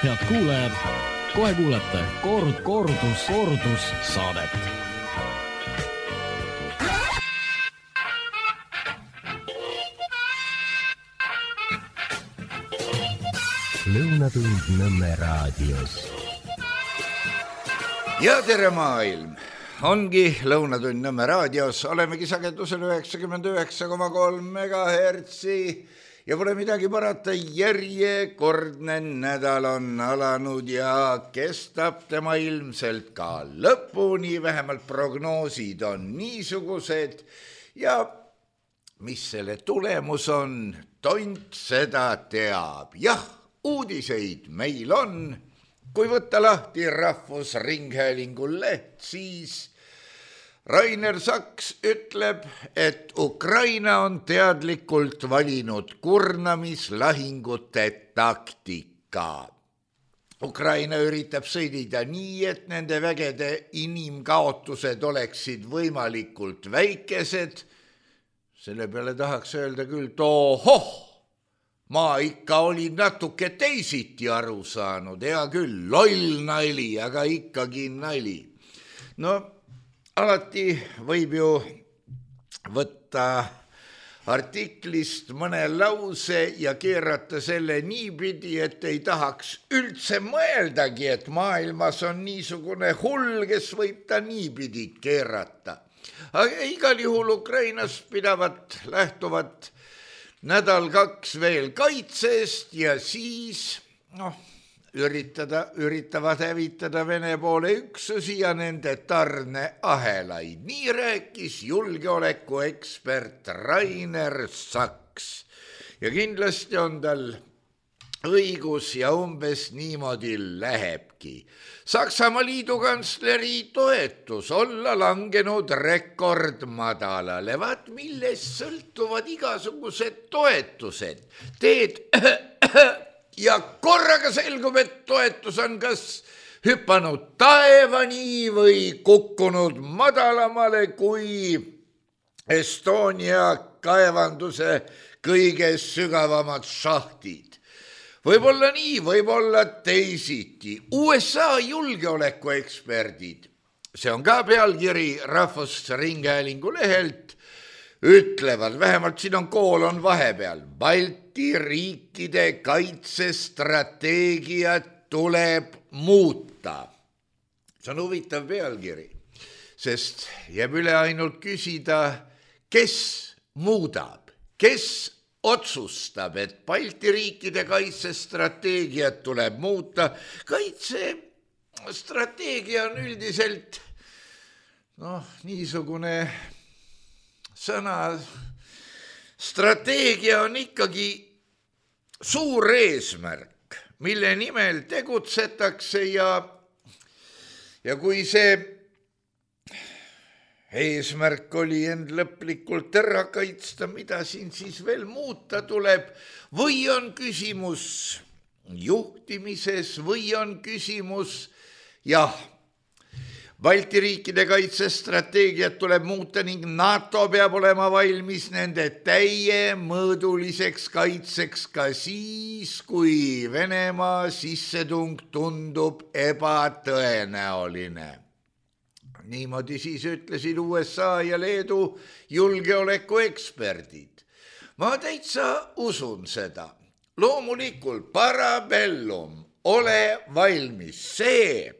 Head kuulajad, kohe kuulete kordus saadet. Lõunatund Nõmme raadios. Ja tere maailm! Ongi Lõunatund Nõmme raadios. Olemegi sagedusel 99,3 megahertsi ja pole midagi parata. Järjekordne nädal on alanud ja kestab tema ilmselt ka lõpuni. Vähemalt prognoosid on niisugused ja mis selle tulemus on, tont seda teab. Jah, uudiseid meil on. Kui võtta lahti Rahvusringhäälingu leht, siis Rainer Saks ütleb, et Ukraina on teadlikult valinud kurnamislahingute taktika. Ukraina üritab sõdida nii, et nende vägede inimkaotused oleksid võimalikult väikesed. Selle peale tahaks öelda küll, tohoh! Ma ikka olin natuke teisiti aru saanud, hea küll, loll nali, aga ikkagi nali. No, alati võib ju võtta artiklist mõne lause ja keerata selle niipidi, et ei tahaks üldse mõeldagi, et maailmas on niisugune hull, kes võib ta niipidi keerata. Aga igal juhul Ukrainas lähtuvad nädal-kaks veel kaitsest ja siis üritavad hävitada Vene poole üksusi ja nende tarneahelaid. Nii rääkis julgeolekuekspert Rainer Saks. Ja kindlasti on tal õigus ja umbes niimoodi lähebki. Saksamaa liidukantsleri toetus olla langenud rekordmadalale. Vaat millest sõltuvad igasugused toetused. Teed ja korraga selgub, et toetus on kas hüpanud taevani või kukkunud madalamale kui Estonia kaevanduse kõige sügavamad šahtid. Võib-olla nii, võib-olla teisiti. USA julgeolekueksperdid, see on ka pealkiri Rahvusringhäälingu lehelt, ütlevad, vähemalt siin on koolon vahepeal, Balti riikide kaitsestrateegiat tuleb muuta. See on huvitav pealkiri, sest jääb üle ainult küsida, kes muudab, kes otsustab, et Balti riikide kaitsestrateegiat tuleb muuta. Kaitsestrateegia on üldiselt niisugune sõna. Strateegia on ikkagi suur eesmärk, mille nimel tegutsetakse ja kui see eesmärk oli end lõplikult ära kaitsta, mida siin siis veel muuta tuleb, või on küsimus juhtimises või on küsimus, jah, Balti riikide kaitsestrateegiat tuleb muuta ning NATO peab olema valmis nende täiemõõduliseks kaitseks ka siis, kui Venemaa sissetung tundub ebatõenäoline. Niimoodi siis ütlesid USA ja Leedu julgeolekueksperdid. Ma täitsa usun seda. Loomulikult parabellum, ole valmis see,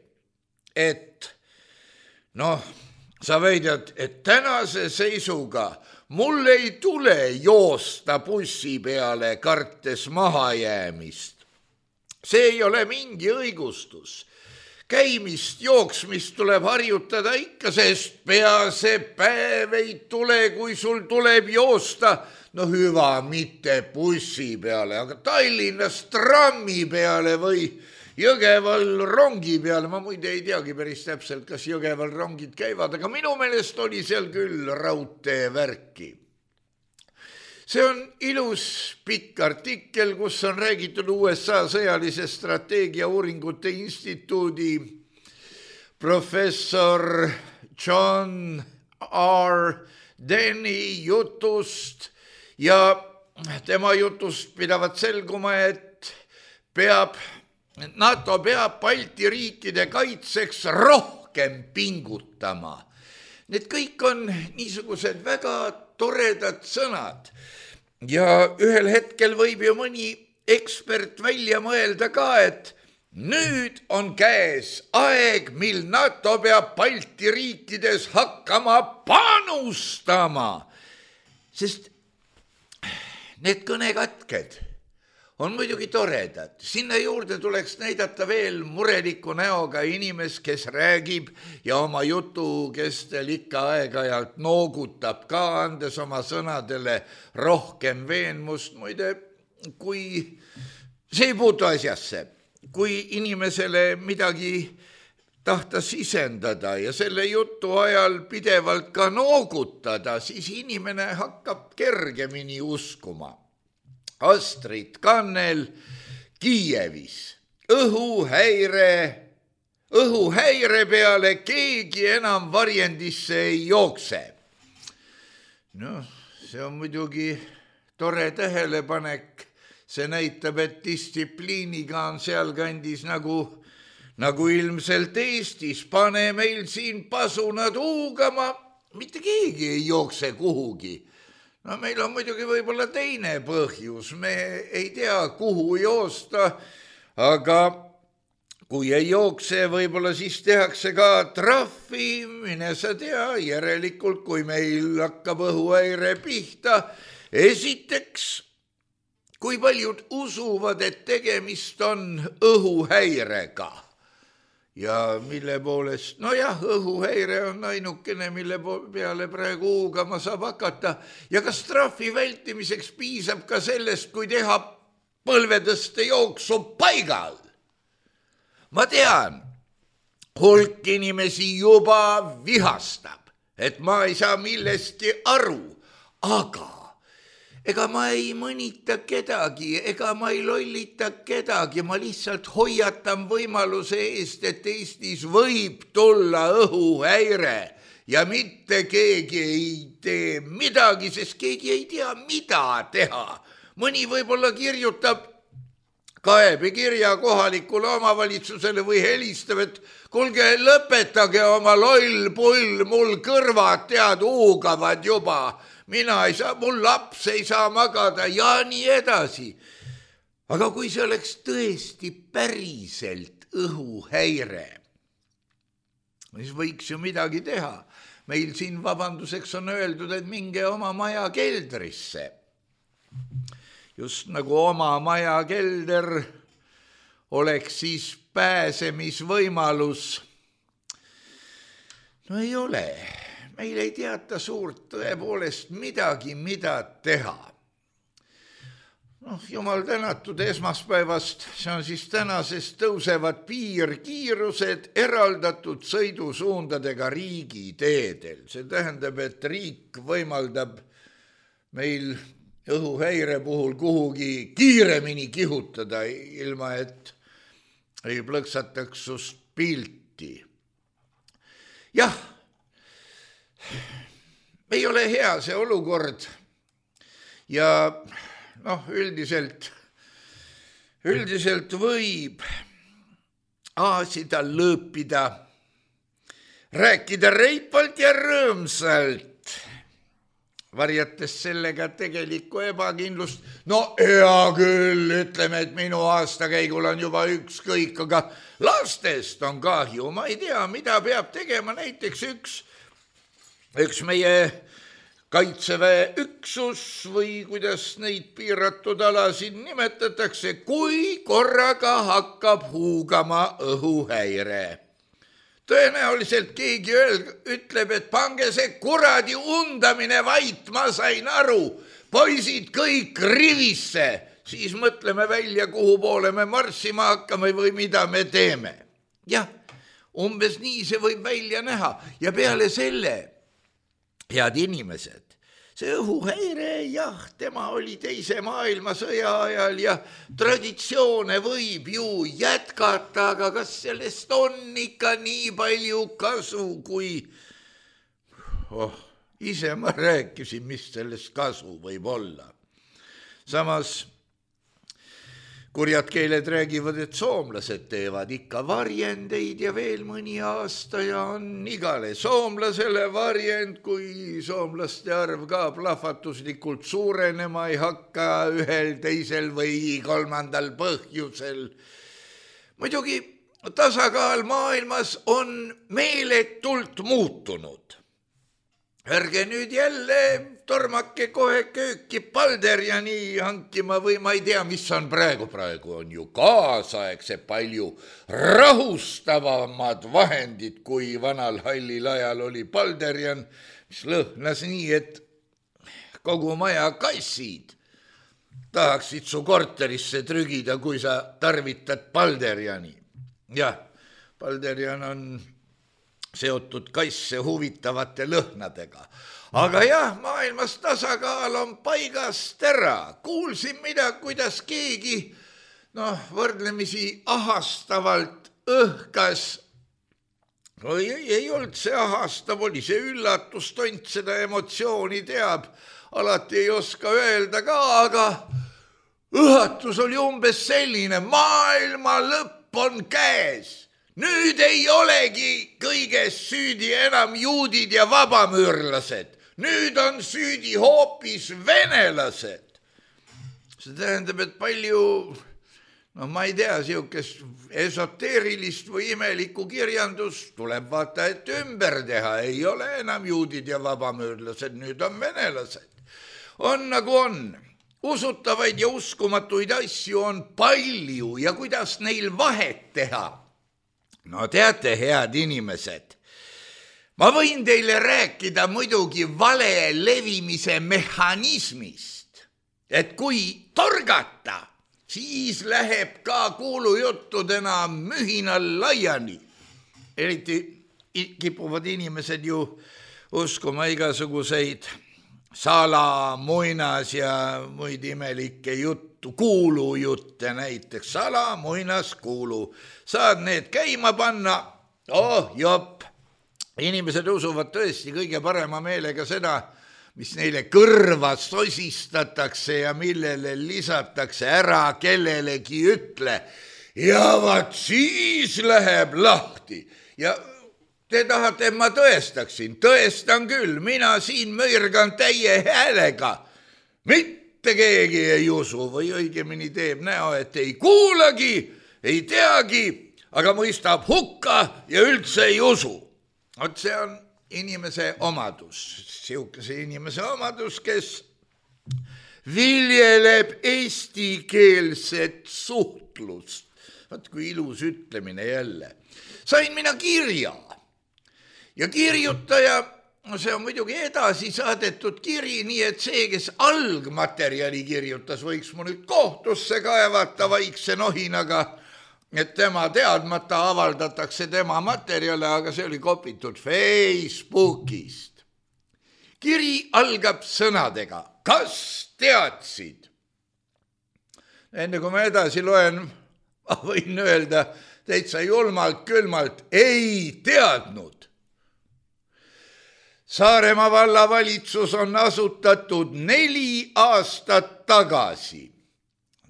et sa väidad, et tänase seisuga mul ei tule joosta bussi peale kartes mahajäämist. See ei ole mingi õigustus. Käimist, jooksmist tuleb harjutada ikka, sest pea see päev ei tule, kui sul tuleb joosta. Hüva, mitte bussi peale, aga Tallinnas trammi peale või Jõgeval rongi peale. Ma muide ei teagi päris täpselt, kas Jõgeval rongid käivad, aga minu meelest oli seal küll raudteevärki. See on ilus pikk artikkel, kus on räägitud USA sõjalise strateegia uuringute instituudi professor John R. Denny jutust ja tema jutust pidavat selguma, et peab NATO peab Balti riikide kaitseks rohkem pingutama. Need kõik on niisugused väga toredad sõnad ja ühel hetkel võib ju mõni ekspert välja mõelda ka, et nüüd on käes aeg, mil NATO peab Balti riikides hakkama panustama, sest need kõnekatked on muidugi toredad. Sinna juurde tuleks näidata veel mureliku näoga inimest, kes räägib ja oma jutu kestel ikka aeg-ajalt noogutab ka, andes oma sõnadele rohkem veenmust. Muide, kui see ei puutu asjasse, kui inimesele midagi tahta sisendada ja selle jutu ajal pidevalt ka noogutada, siis inimene hakkab kergemini uskuma. Astrid Kannel Kiievis. Õhuhäire peale keegi enam varjendisse ei jookse. No, see on muidugi tore tähelepanek. See näitab, et distsipliiniga on sealkandis nagu ilmselt Eestis. Pane meil siin pasunad huugama, mitte keegi ei jookse kuhugi. No meil on muidugi võib-olla teine põhjus, me ei tea, kuhu joosta, aga kui ei jookse, võib-olla siis tehakse ka trahvi, mine sa tea, järelikult kui meil hakkab õhuhäire pihta. Esiteks, kui paljud usuvad, et tegemist on õhuhäirega. Ja mille poolest, nojah, õhuhäire on ainukene, mille peale praegu huugama saab hakata. Ja kas trahvi vältimiseks piisab ka sellest, kui teha põlvetõste jooksu paigal? Ma tean, hulk inimesi juba vihastab, et ma ei saa millestki aru, aga ega ma ei mõnita kedagi, ega ma ei lollita kedagi, ma lihtsalt hoiatan võimaluse eest, et Eestis võib tulla õhuhäire ja mitte keegi ei tee midagi, sest keegi ei tea, mida teha. Mõni võib-olla kirjutab kaebekirja kohalikule omavalitsusele või helistab, et kuulge, lõpetage oma loll pull, mul kõrvad tead huugavad juba. Mina ei saa, mul laps ei saa magada ja nii edasi. Aga kui see oleks tõesti päriselt õhuhäire, siis võiks ju midagi teha. Meil siin vabanduseks on öeldud, et minge oma maja keldrisse. Just nagu oma maja kelder oleks siis pääsemisvõimalus. No ei ole. Meil ei teata suurt tõepoolest midagi, mida teha. Jumal tänatud esmaspäevast, see on siis tänasest tõusevad piirkiirused eraldatud sõidusuundadega riigiteedel. See tähendab, et riik võimaldab meil õhuhäire puhul kuhugi kiiremini kihutada, ilma et ei plõksataks sust pilti. Jah, ei ole hea see olukord ja üldiselt võib aasida, lõõpida, rääkida reipalt ja rõõmsalt, varjates sellega tegelikku ebakindlust. No hea küll, ütleme, et minu aastakäigul on juba ükskõik, aga lastest on kahju. Ma ei tea, mida peab tegema näiteks üks meie kaitseväe üksus või kuidas neid piiratud alasid nimetatakse, kui korraga hakkab huugama õhuhäire. Tõenäoliselt keegi ütleb, et pange see kuradi undamine vait, ma sain aru, poisid kõik rivisse, siis mõtleme välja, kuhu poole me marssima hakkame või mida me teeme. Jah, umbes nii see võib välja näha ja peale selle, head inimesed, see õhuhäire, jah, tema oli teise maailmasõja ajal ja traditsioone võib ju jätkata, aga kas sellest on ikka nii palju kasu, kui ise ma rääkisin, mis sellest kasu võib olla. Samas, kurjad keeled räägivad, et soomlased teevad ikka varjendeid ja veel mõni aasta ja on igale soomlasele varjend, kui soomlaste arv ka plahvatuslikult suurenema ei hakka ühel, teisel või kolmandal põhjusel. Muidugi tasakaal maailmas on meeletult muutunud. Ärge nüüd jälle tormake kohe kööki Balderjani hankima või ma ei tea, mis on praegu on ju kaasaegse palju rahustavamad vahendid, kui vanal hallil ajal oli Balderjan, mis lõhnas nii, et kogu maja kassid tahaksid su korterisse trügida, kui sa tarvitad Balderjani. Jah, Balderjan on seotud kasse huvitavate lõhnadega. Aga jah, maailmas tasakaal on paigast ära. Kuulsin kuidas keegi võrdlemisi ahastavalt õhkas. Ei olnud see ahastav, oli see üllatus, tont seda emotsiooni teab. Alati ei oska öelda ka, aga õhatus oli umbes selline, maailma lõpp on käes. Nüüd ei olegi kõiges süüdi enam juudid ja vabamüürlased. Nüüd on süüdi hoopis venelased. See tähendab, et palju, ma ei tea, siukest esoteerilist või imelikku kirjandust tuleb vaata, et ümber teha. Ei ole enam juudid ja vabamüürlased, nüüd on venelased. On nagu on. Usutavaid ja uskumatuid asju on palju ja kuidas neil vahet teha. No teate, head inimesed, ma võin teile rääkida muidugi vale levimise mehhanismist, et kui torgata, siis läheb ka kuulujuttudena mühinal laiani. Eriti kipuvad inimesed ju uskuma igasuguseid salamuinas ja muid imelikke juttu, kuulujutte näiteks, salamuinas kuulu. Saad need käima panna, jopp. Inimesed usuvad tõesti kõige parema meelega seda, mis neile kõrva sosistatakse ja millele lisatakse ära kellelegi ütle. Ja vaat siis läheb lahti. Ja te tahate, et ma tõestaksin? Tõestan küll, mina siin mõirgan täie häälega. Mitte keegi ei usu või õigemini teeb näo, et ei kuulagi, ei teagi, aga mõistab hukka ja üldse ei usu. Vot see on inimese omadus, siukese inimese omadus, kes viljeleb eestikeelset suhtlust. Vot kui ilus ütlemine jälle. Sain mina kirja. Ja kirjutaja, see on muidugi edasi saadetud kiri, nii et see, kes algmaterjali kirjutas, võiks mu nüüd kohtusse kaevata vaikse nohinaga, et tema teadmata avaldatakse tema materjale, aga see oli kopitud Facebookist. Kiri algab sõnadega, kas teadsid? Enne kui ma edasi loen, ma võin öelda täitsa julmalt külmalt, ei teadnud. Saaremaa vallavalitsus on asutatud 4 aastat tagasi.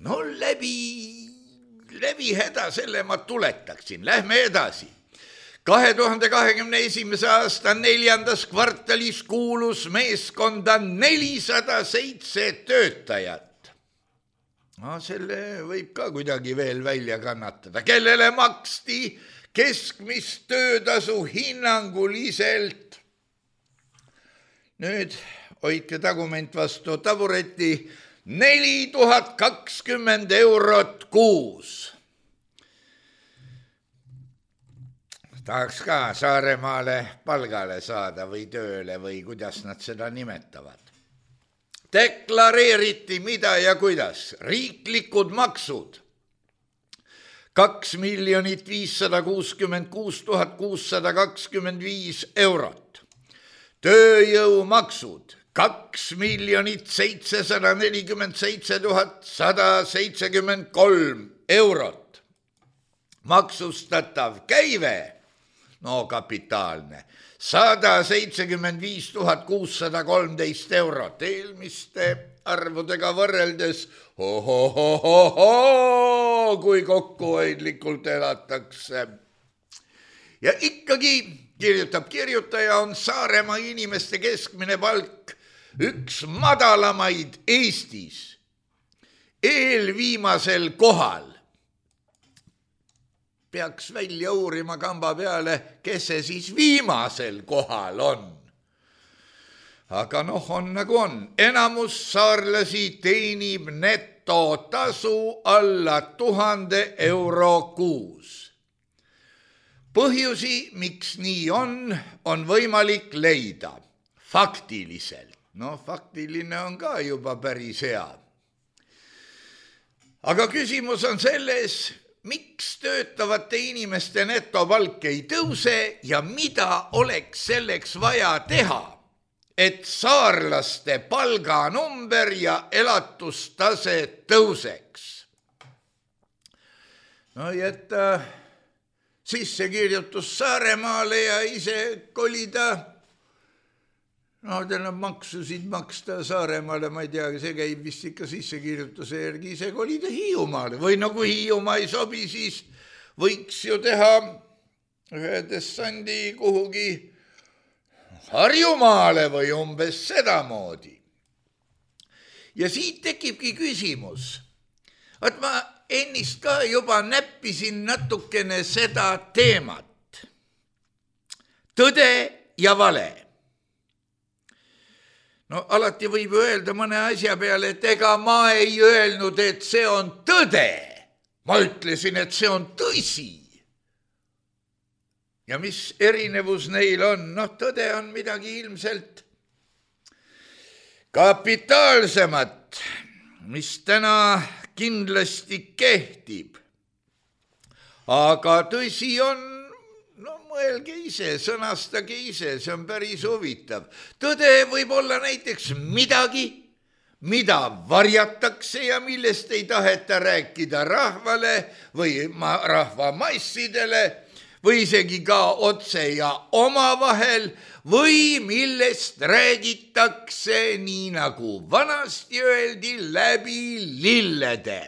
No läbi häda selle ma tuletaksin. Lähme edasi. 2021. aasta 4. kvartalis kuulus meeskonda 407 töötajat. No selle võib ka kuidagi veel välja kannatada. Kellele maksti keskmist töötasu hinnanguliselt. Nüüd hoidke tagument vastu tabureti 4020 eurot kuus. Tahaks ka Saaremaale palgale saada või tööle või kuidas nad seda nimetavad. Deklareeriti mida ja kuidas. Riiklikud maksud 2 566 625 eurot. Tööjõumaksud 2 747 173 eurot. Maksustatav käive no kapitaalne, 175 613 eurot, eelmiste arvudega võrreldes kui kokkuhoidlikult elatakse. Ja ikkagi, kirjutab kirjutaja, on Saaremaa inimeste keskmine palk üks madalamaid Eestis, eelviimasel kohal. Peaks välja uurima kamba peale, kes see siis viimasel kohal on. Aga on nagu on. Enamus saarlasi teenib netotasu alla 1000 euro kuus. Põhjusi, miks nii on võimalik leida faktiliselt. Faktiline on ka juba päris hea. Aga küsimus on selles, miks töötavate inimeste netopalk ei tõuse ja mida oleks selleks vaja teha, et saarlaste palganumber ja elatustase tõuseks. Jätta sissekirjutus Saaremaale ja ise kolida, maksusid maksta Saaremaale, ma ei tea, see käib vist ikka sissekirjutuse järgi, ise kolida Hiiumaale. Või kui Hiiumaa ei sobi, siis võiks ju teha ühe dessandi kuhugi Harjumaale või umbes sedamoodi. Ja siit tekibki küsimus, et ma ennist ka juba näppisin natukene seda teemat. Tõde ja vale. Alati võib öelda mõne asja peale, et ega ma ei öelnud, et see on tõde. Ma ütlesin, et see on tõsi. Ja mis erinevus neil on? Tõde on midagi ilmselt kapitaalsemat, mis täna kindlasti kehtib. Aga tõsi on, mõelge ise, sõnastage ise, see on päris huvitav. Tõde võib olla näiteks midagi, mida varjatakse ja millest ei taheta rääkida rahvale või rahvamassidele või isegi ka otse ja omavahel või millest räägitakse nii nagu vanasti öeldi läbi lillede.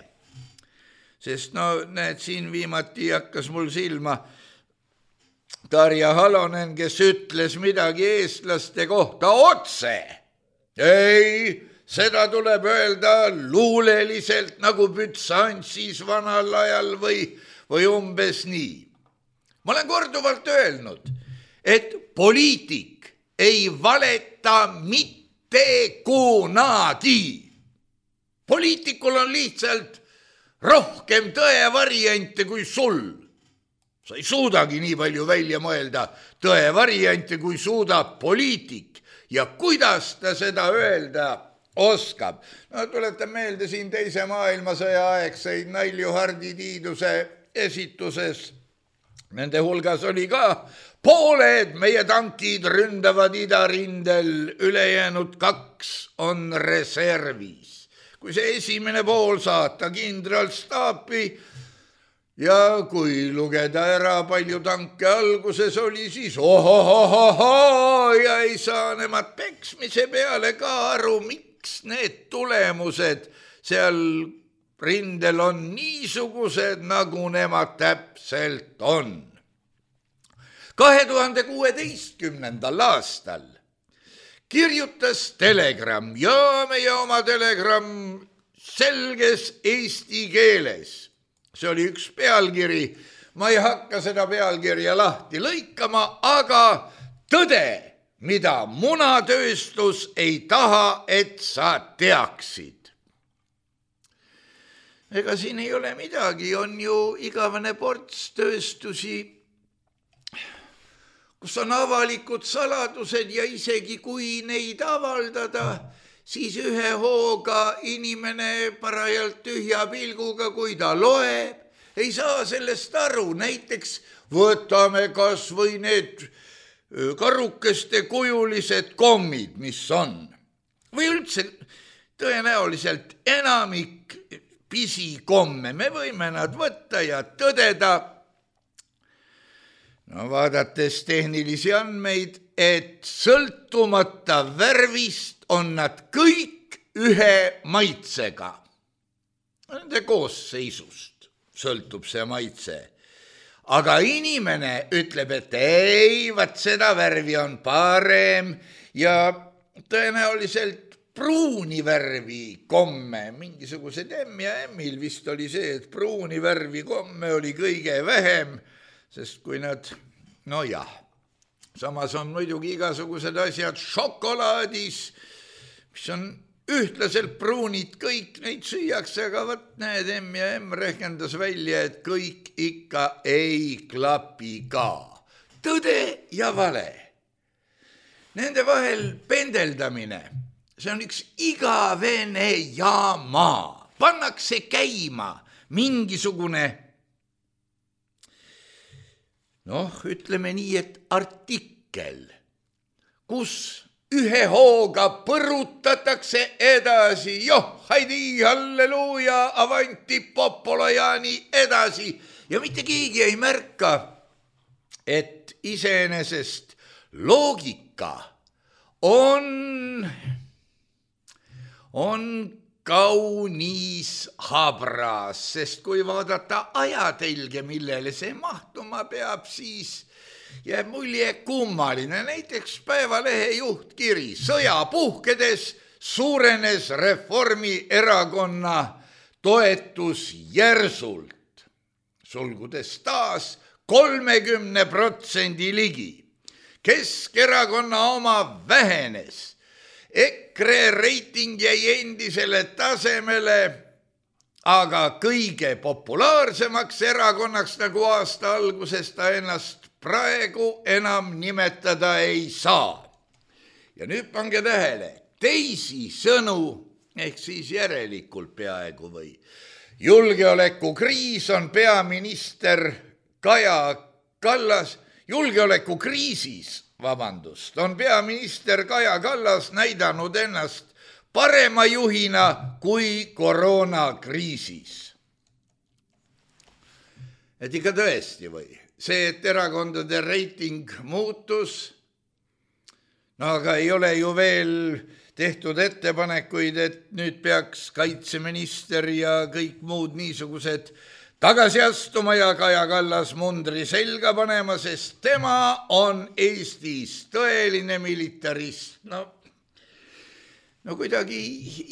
Sest näed, siin viimati hakkas mul silma Tarja Halonen, kes ütles midagi eestlaste kohta otse. Ei, seda tuleb öelda luuleliselt nagu Bütsansis vanal ajal või umbes nii. Ma olen korduvalt öelnud, et poliitik ei valeta mitte kunagi. Poliitikul on lihtsalt rohkem tõevariante kui sul. Sa ei suudagi nii palju välja mõelda tõevariante, kui suudab poliitik. Ja kuidas ta seda öelda oskab? Tuletan meelde siin teise maailmasõja aegseid Nailju Hardi Tiiduse esituses. Nende hulgas oli ka pooled meie tankid ründavad idarindel, ülejäänud 2 on reservis. Kui see esimene pool saata kindralstaapi ja kui lugeda ära palju tanke alguses oli, siis ja ei saa nemad peksmise peale ka aru, miks need tulemused seal rindel on niisugused, nagu nemad täpselt on. 2016. aastal kirjutas Telegram ja meie oma Telegram selges eesti keeles. See oli üks pealkiri, ma ei hakka seda pealkirja lahti lõikama, aga tõde, mida munatööstus ei taha, et sa teaksid. Ega siin ei ole midagi, on ju igavene ports tööstusi, kus on avalikud saladused ja isegi kui neid avaldada, siis ühe hooga inimene parajalt tühja pilguga, kui ta loeb, ei saa sellest aru. Näiteks võtame kas või need karukeste kujulised kommid, mis on. Või üldse tõenäoliselt enamik pisikomme, me võime nad võtta ja tõdeda. no vaadates tehnilisi andmeid, et sõltumata värvist on nad kõik ühe maitsega. Nende koosseisust sõltub see maitse. Aga inimene ütleb, et ei, vaat seda värvi on parem ja tõenäoliselt pruuni värvi komme, mingisugused M ja M-il vist oli see, et pruuni värvi komme oli kõige vähem, sest kui nad, no jah, samas on muidugi igasugused asjad šokolaadis, mis on ühtlaselt pruunid, kõik neid süüakse, aga võt need M ja M rehkendas välja, et kõik ikka ei klapi ka. Tõde ja vale. Nende vahel pendeldamine, see on üks igavene jaama. Pannakse käima mingisugune, ütleme nii, et artikkel, kus ühe hooga põrutatakse edasi, haidi, halleluuja, avanti, popolajani edasi. Ja mitte keegi ei märka, et iseenesest loogika on kaunis habras, sest kui vaadata ajatelge, millele see mahtuma peab, siis jääb mulje kummaline. Näiteks Päevalehe juhtkiri: sõja puhkedes suurenes Reformierakonna toetus järsult, sulgudes taas 30% ligi. Keskerakonna oma vähenes, EKRE reiting jäi endisele tasemele, aga kõige populaarsemaks erakonnaks, nagu aasta alguses ta ennast praegu enam nimetada ei saa. Ja nüüd pange tähele, teisi sõnu, ehk siis järelikult peaaegu või. Julgeolekukriis on peaminister Kaja Kallas, on peaminister Kaja Kallas näidanud ennast parema juhina kui koroonakriisis. Et ikka tõesti või? See, et erakondade reiting muutus, aga ei ole ju veel tehtud ettepanekuid, et nüüd peaks kaitseminister ja kõik muud niisugused tagasi astuma ja Kaja Kallas mundri selga panema, sest tema on Eestis tõeline militarist. No kuidagi,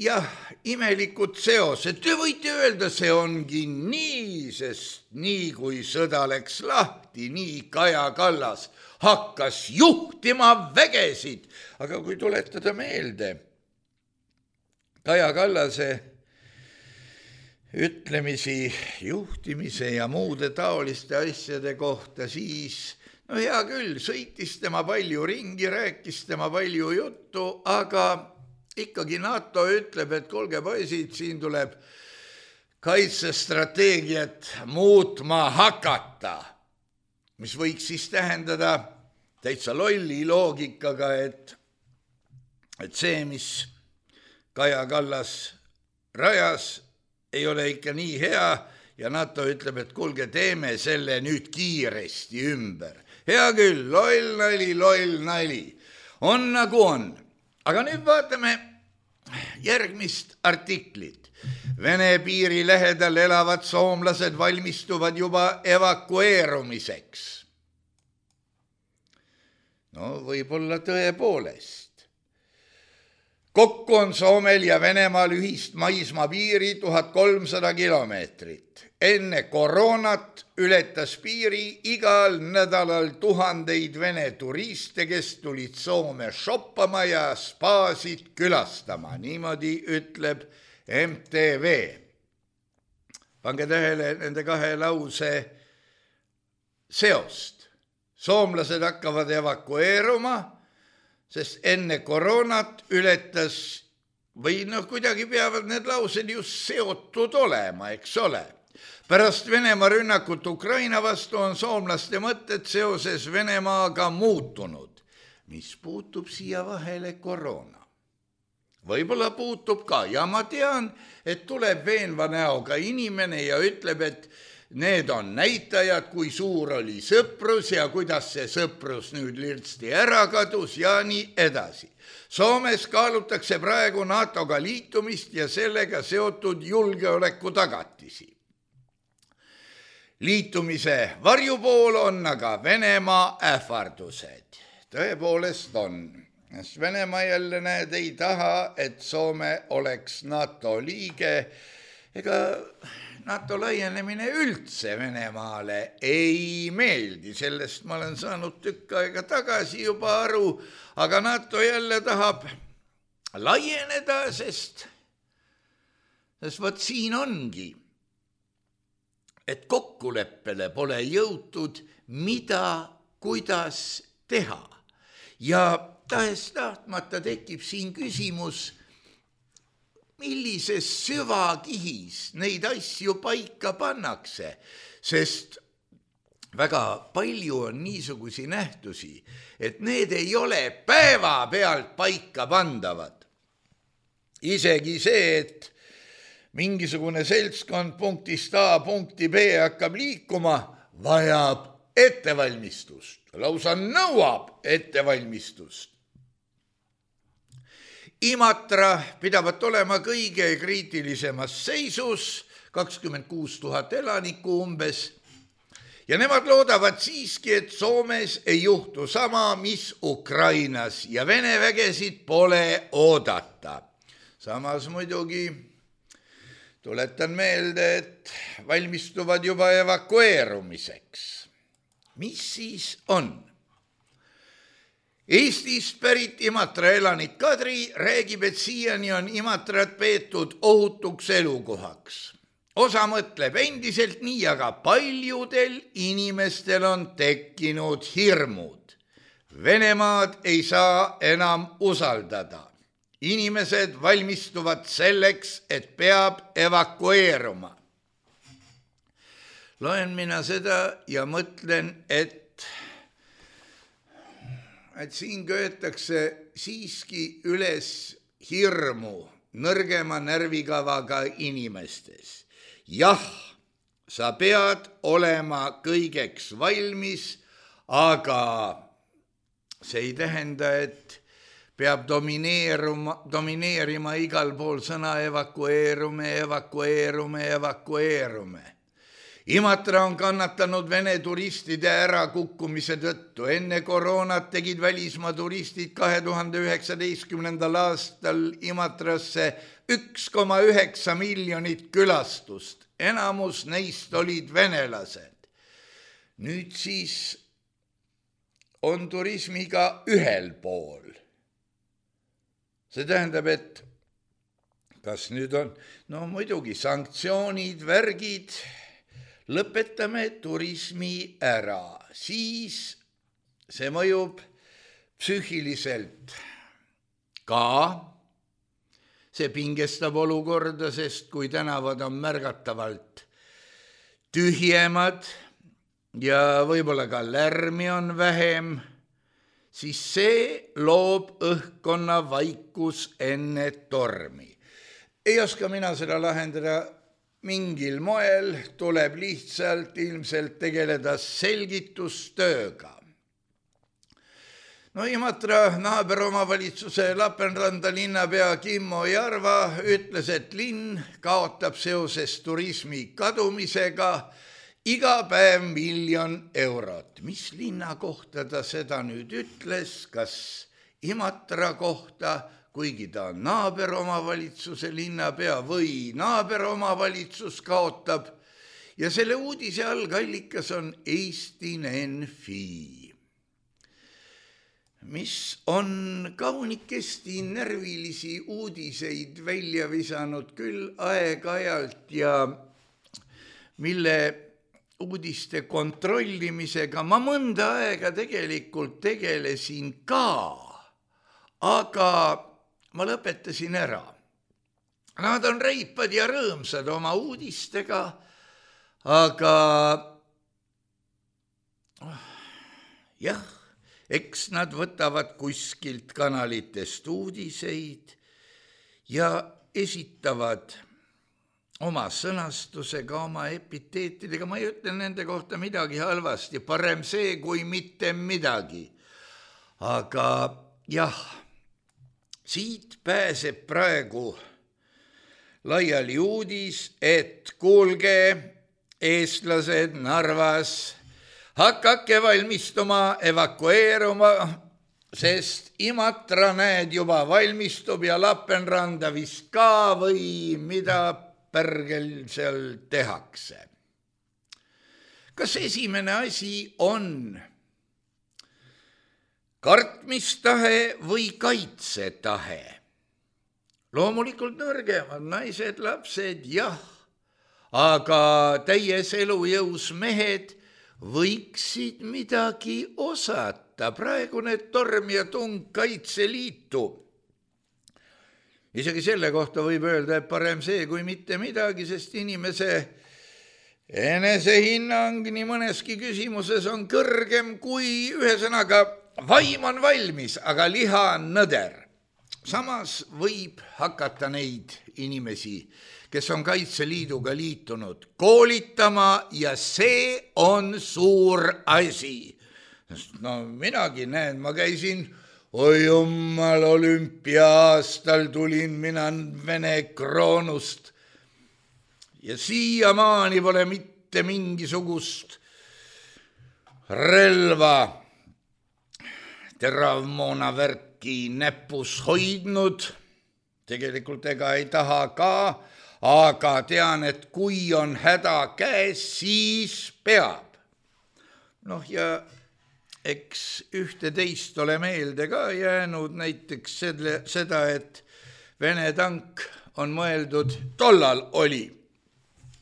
jah, imelikud seosed. Te võite öelda, see ongi nii, sest nii kui sõda läks lahti, nii Kaja Kallas hakkas juhtima vägesid. Aga kui tuletada meelde Kaja Kallase ütlemisi juhtimise ja muude taoliste asjade kohta, siis hea küll, sõitis tema palju ringi, rääkis tema palju juttu, aga ikkagi NATO ütleb, et kuulge poisid, siin tuleb kaitsestrateegiat muutma hakata, mis võiks siis tähendada täitsa lolli loogikaga, et see, mis Kaja Kallas rajas, ei ole ikka nii hea ja NATO ütleb, et kuulge, teeme selle nüüd kiiresti ümber. Hea küll, loll nali. On nagu on. Aga nüüd vaatame järgmist artiklit. Vene piiri lähedal elavad soomlased valmistuvad juba evakueerumiseks. Võib-olla tõepoolest. Kokku on Soomel ja Venemaal ühist maismaapiiri 1300 kilomeetrit. Enne koroonat ületas piiri igal nädalal tuhandeid Vene turiste, kes tulid Soome shoppama ja spaasid külastama. Niimoodi ütleb MTV. Pange tähele nende kahe lause seost. Soomlased hakkavad evakueeruma, sest enne koroonat ületas, või kuidagi peavad need laused just seotud olema, eks ole. Pärast Venemaa rünnakut Ukraina vastu on soomlaste mõtted seoses Venemaaga muutunud, mis puutub siia vahele koroona. Võib-olla puutub ka ja ma tean, et tuleb veenva näoga inimene ja ütleb, et need on näitajad, kui suur oli sõprus ja kuidas see sõprus nüüd lirtsti ära kadus ja nii edasi. Soomes kaalutakse praegu NATO-ga liitumist ja sellega seotud julgeoleku tagatisi. Liitumise varjupool on aga Venemaa ähvardused. Tõepoolest on. Venemaa jälle näed ei taha, et Soome oleks NATO liige. Ega NATO laienemine üldse Venemaale ei meeldi. Sellest ma olen saanud tükk aega tagasi juba aru, aga NATO jälle tahab laieneda, sest võt siin ongi, et kokkuleppele pole jõutud, mida, kuidas teha. Ja tahes tahtmata tekib siin küsimus, millises süvakihis neid asju paika pannakse, sest väga palju on niisugusi nähtusi, et need ei ole päevapealt paika pandavad. Isegi see, et mingisugune seltskond punktist A punkti B hakkab liikuma, vajab ettevalmistust, lausa nõuab ettevalmistust. Imatra pidavat olema kõige kriitilisemas seisus, 26 000 elanikku umbes, ja nemad loodavad siiski, et Soomes ei juhtu sama, mis Ukrainas ja Vene vägesid pole oodata. Samas muidugi tuletan meelde, et valmistuvad juba evakueerumiseks. Mis siis on? Eestist pärit Imatra elanik Kadri räägib, et siiani on Imatrat peetud ohutuks elukohaks. Osa mõtleb endiselt nii, aga paljudel inimestel on tekkinud hirmud. Venemaad ei saa enam usaldada. Inimesed valmistuvad selleks, et peab evakueeruma. Loen mina seda ja mõtlen, et siin köetakse siiski üles hirmu nõrgema närvikavaga inimestes. Jah, sa pead olema kõigeks valmis, aga see ei tähenda, et peab domineerima igal pool sõna evakueerume. Imatra on kannatanud Vene turistide ärakukkumise tõttu. Enne koroonat tegid välismaa turistid 2019. aastal Imatrasse 1,9 miljonit külastust. Enamus neist olid venelased. Nüüd siis on turismiga ühel pool. See tähendab, et kas nüüd on, muidugi sanktsioonid, värgid, lõpetame turismi ära, siis see mõjub psüühiliselt ka, see pingestab olukorda, sest kui tänavad on märgatavalt tühjemad ja võib-olla ka lärmi on vähem, siis see loob õhkkonna vaikus enne tormi. Ei oska mina seda lahendada mingil moel, tuleb lihtsalt ilmselt tegeleda selgitustööga. Imatra naaberomavalitsuse Lapenranda linnapea Kimmo Jarva ütles, et linn kaotab seoses turismi kadumisega iga päev 1 miljon eurot. Mis linna kohta ta seda nüüd ütles, kas Imatra kohta, kuigi ta on naaberomavalitsuse linnapea või naaberomavalitsus kaotab. Ja selle uudise algallikas on Eesti-NFI, mis on kaunikesti närvilisi uudiseid välja visanud küll aeg-ajalt ja mille uudiste kontrollimisega ma mõnda aega tegelikult tegelesin ka, aga ma lõpetasin ära. Nad on reipad ja rõõmsad oma uudistega, aga jah, eks nad võtavad kuskilt kanalitest uudiseid ja esitavad oma sõnastusega, oma epiteetidega, ma ei ütle nende kohta midagi halvasti, parem see kui mitte midagi. Aga jah, siit pääseb praegu laiali uudis, et kuulge, eestlased Narvas, hakake valmistuma evakueeruma, sest Imatra näed juba valmistub ja Lapenranda vist ka või mida pärgel seal tehakse. Kas esimene asi on kartmistahe või kaitsetahe? Loomulikult nõrgemad naised, lapsed, jah, aga täies elujõus mehed võiksid midagi osata. Praegune torm ja tung Kaitseliitu. Isegi selle kohta võib öelda, et parem see kui mitte midagi, sest inimese enesehinnang nii mõneski küsimuses on kõrgem kui ühesõnaga vaim on valmis, aga liha on nõder. Samas võib hakata neid inimesi, kes on Kaitseliiduga liitunud, koolitama ja see on suur asi. No minagi näen, ma käisin, oi jummal, olümpiaastal tulin mina Vene kroonust ja siiamaani pole mitte mingisugust relva teravmoonavärki näpus hoidnud, tegelikult ega ei taha ka, aga tean, et kui on häda käes, siis peab. Noh ja eks ühte teist ole meelde ka jäänud näiteks seda, et Vene tank on mõeldud, tollal oli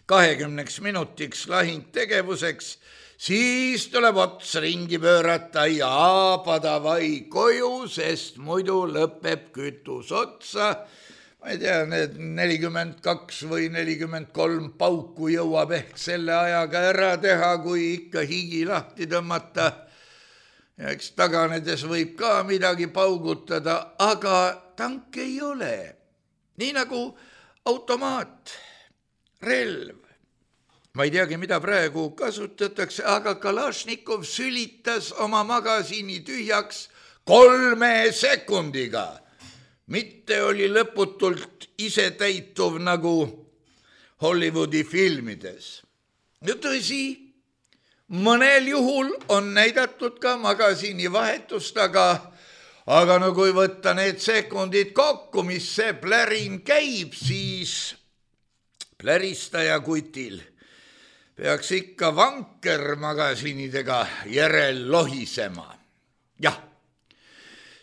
20 minutiks lahingtegevuseks, siis tuleb ots ringi pöörata ja padavai koju, sest muidu lõpeb kütus otsa. Ma ei tea, need 42 või 43 pauku jõuab ehk selle ajaga ära teha, kui ikka higi lahti tõmmata. Ja eks taganedes võib ka midagi paugutada, aga tank ei ole. Nii nagu automaat, relv. Ma ei teagi, mida praegu kasutatakse, aga Kalašnikov sülitas oma magasiini tühjaks 3 sekundiga. Mitte oli lõputult isetäituv nagu Hollywoodi filmides. Ja tõsi, mõnel juhul on näidatud ka magasiini vahetust, aga no kui võtta need sekundid kokku, mis see plärin käib, siis pläristaja kutil peaks ikka vanker magasiinidega järel lohisema. Jah,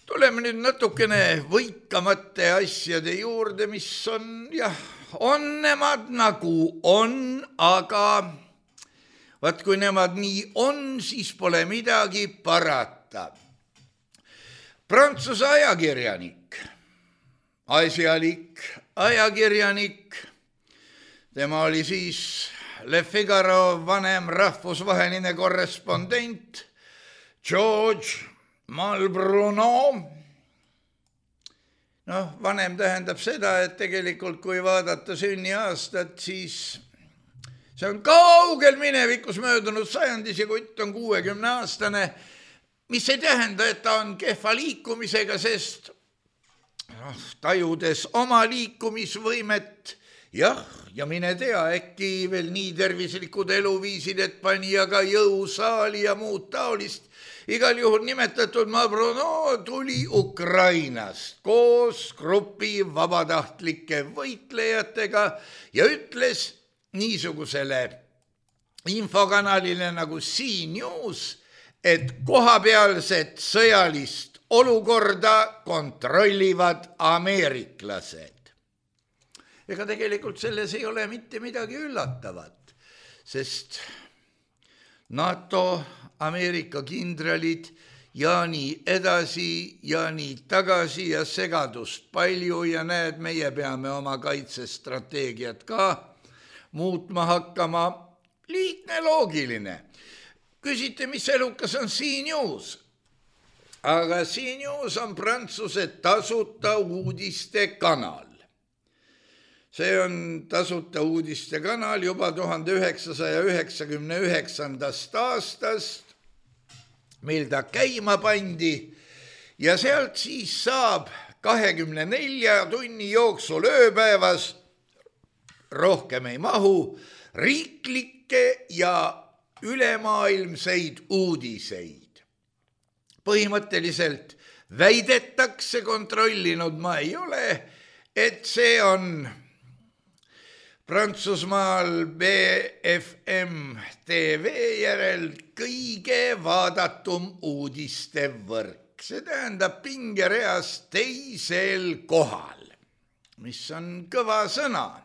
tuleme nüüd natukene võikamate asjade juurde, mis on, jah, on nemad nagu on, aga vaat kui nemad nii on, siis pole midagi parata. Prantsuse ajakirjanik, asjalik ajakirjanik, tema oli siis Le Figaro vanem rahvusvaheline korrespondent George Malbruno. Noh, vanem tähendab seda, et tegelikult kui vaadata sünniaastat, siis see on kaugel minevikus möödunud sajandis ja kutt on 60-aastane, mis ei tähenda, et ta on kehva liikumisega, sest tajudes oma liikumisvõimet, jah, ja mine tea, äkki veel nii tervislikud eluviisid, et pani aga jõusaali ja muud taolist. Igal juhul nimetatud Malbruno tuli Ukrainast koos grupi vabatahtlike võitlejatega ja ütles niisugusele infokanalile nagu CNews, et kohapealset sõjalist olukorda kontrollivad ameeriklased. Ega tegelikult selles ei ole mitte midagi üllatavat, sest NATO, Ameerika kindralid ja nii edasi ja nii tagasi ja segadust palju ja näed, meie peame oma kaitsestrateegiat ka muutma hakkama. Lihtne, loogiline. Küsite, mis elukas on CNews? Aga CNews on Prantsuse tasuta uudiste kanal. See on tasuta uudiste kanal juba 1999. aastast, mil ta käima pandi ja sealt siis saab 24 tunni jooksul ööpäevas, rohkem ei mahu, riiklikke ja ülemaailmseid uudiseid. Põhimõtteliselt väidetakse, kontrollinud ma ei ole, et see on Prantsusmaal BFM TV järel kõige vaadatum uudistevõrk. See tähendab pingereas teisel kohal, mis on kõva sõna.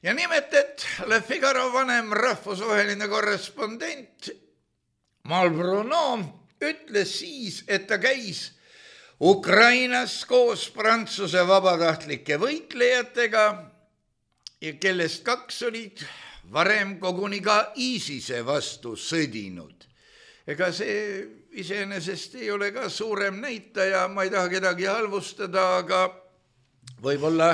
Ja nimelt, et Le Figaro vanem rahvusvaheline korrespondent Mal Bruno ütles siis, et ta käis Ukrainas koos Prantsuse vabatahtlike võitlejatega, ja kellest 2 olid varem koguni ka ISISe vastu sõdinud. Ega see iseenesest ei ole ka suurem näitaja, ma ei taha kedagi halvustada, aga võib-olla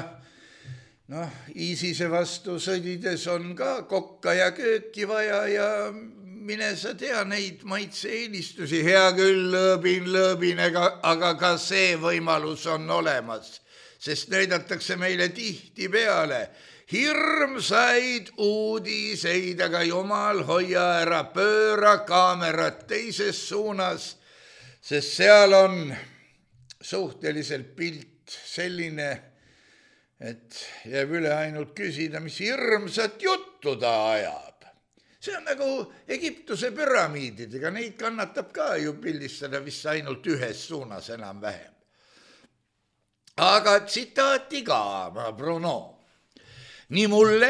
ISISe vastu sõdides on ka kokka ja kööki vaja ja mine sa tea neid maitse-eelistusi. Hea küll, lõõbin, aga ka see võimalus on olemas, sest näidatakse meile tihti peale hirmsaid uudiseid, aga jumal hoia ära, pööra kaamerat teises suunas, sest seal on suhteliselt pilt selline, et jääb üle ainult küsida, mis hirmsat juttu ta ajab. See on nagu Egiptuse püramiididega, neid kannatab ka ju pildistada vist ainult ühes suunas enam-vähem. Aga tsitaati ka, Bruno. Nii mulle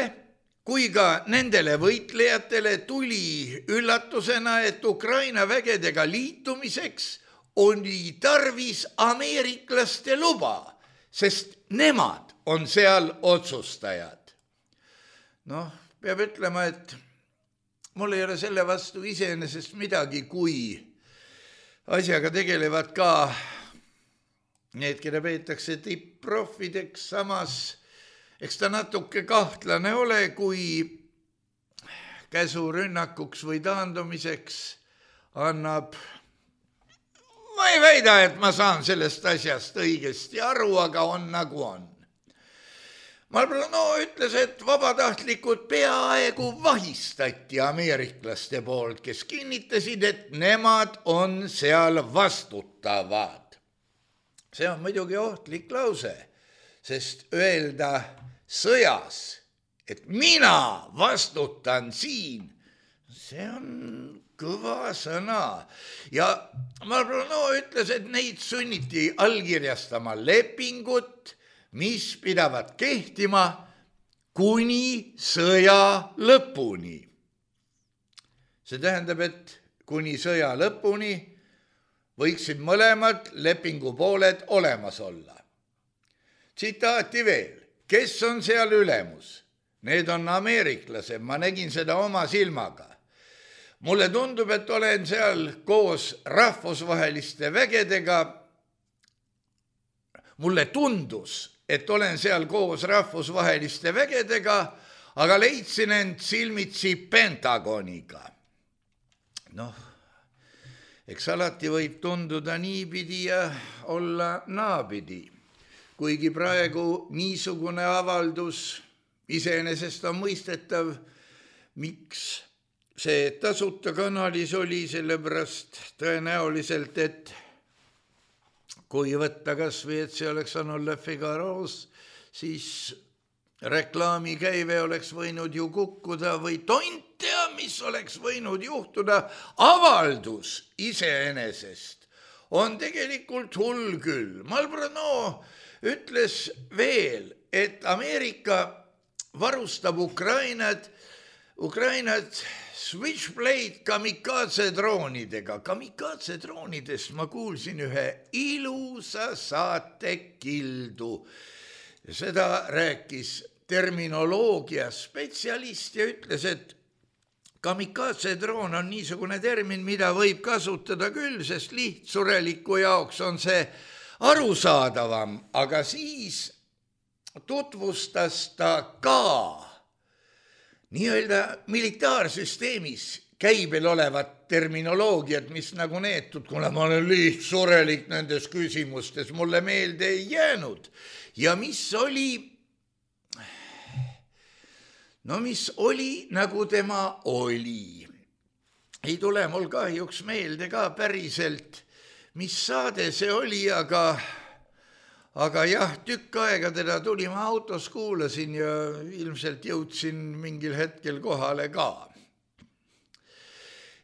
kui ka nendele võitlejatele tuli üllatusena, et Ukraina vägedega liitumiseks oli tarvis ameeriklaste luba, sest nemad on seal otsustajad. Peab ütlema, et mul ei ole selle vastu iseenesest midagi, kui asjaga tegelevad ka need, keda peetakse tipp-proffideks, samas eks ta natuke kahtlane ole, kui käsurünnakuks või taandumiseks annab. Ma ei väida, et ma saan sellest asjast õigesti aru, aga on nagu on. Malbruno ütles, et vabatahtlikud peaaegu vahistati ameeriklaste poolt, kes kinnitasid, et nemad on seal vastutavad. See on muidugi ohtlik lause, sest öelda sõjas, et mina vastutan siin, see on kõva sõna. Ja Malbruno ütles, et neid sunniti allkirjastama lepingut, mis pidavad kehtima kuni sõja lõpuni. See tähendab, et kuni sõja lõpuni võiksid mõlemad lepingupooled olemas olla. Tsitaati veel, kes on seal ülemus? Need on ameeriklased, ma nägin seda oma silmaga. Mulle tundub, et olen seal koos rahvusvaheliste vägedega. Mulle tundus, et olen seal koos rahvusvaheliste vägedega, aga leidsin end silmitsi Pentagoniga. Eks alati võib tunduda niipidi ja olla naapidi. Kuigi praegu niisugune avaldus iseenesest on mõistetav, miks see tasuta kanalis oli, sellepärast tõenäoliselt, et kui võtta kas või, et see oleks olnud Le Figaro's, siis reklaamikäive oleks võinud ju kukkuda või tont tea, mis oleks võinud juhtuda. Avaldus iseenesest on tegelikult hull küll. Malbruno ütles veel, et Ameerika varustab Ukrainat Switchblade kamikaze droonidega. Kamikaze droonidest ma kuulsin ühe ilusa saatekildu. Seda rääkis terminoloogia spetsialist ja ütles, et kamikaze droon on niisugune termin, mida võib kasutada küll, sest lihtsureliku jaoks on see arusaadavam, aga siis tutvustas ta ka nii-öelda militaarsüsteemis käibel olevat terminoloogiat, mis nagu neetud, kuna ma olen lihtsurelik nendes küsimustes, mulle meelde ei jäänud. Ja mis oli nagu tema oli. Ei tule mul kahjuks meelde ka päriselt, mis saade see oli, aga jah, tükk aega teda tuli, ma autos kuulasin ja ilmselt jõudsin mingil hetkel kohale ka.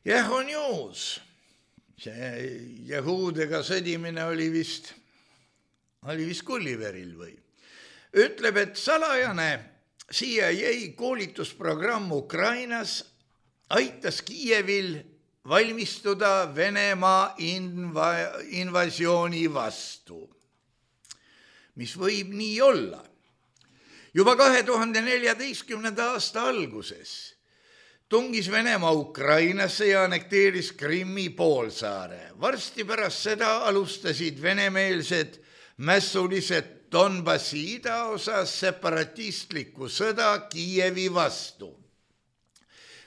Jah, on juus. See jahuudega sõdimine oli vist Gulliveril või. Ütleb, et salajane CIA koolitusprogramm Ukrainas aitas Kiievil valmistuda Venemaa invasiooni vastu. Mis võib nii olla. Juba 2014. aasta alguses tungis Venemaa Ukrainasse ja annekteeris Krimmi poolsaare. Varsti pärast seda alustasid venemeelsed mässulised Donbassi idaosas separatistlikku sõda Kiievi vastu.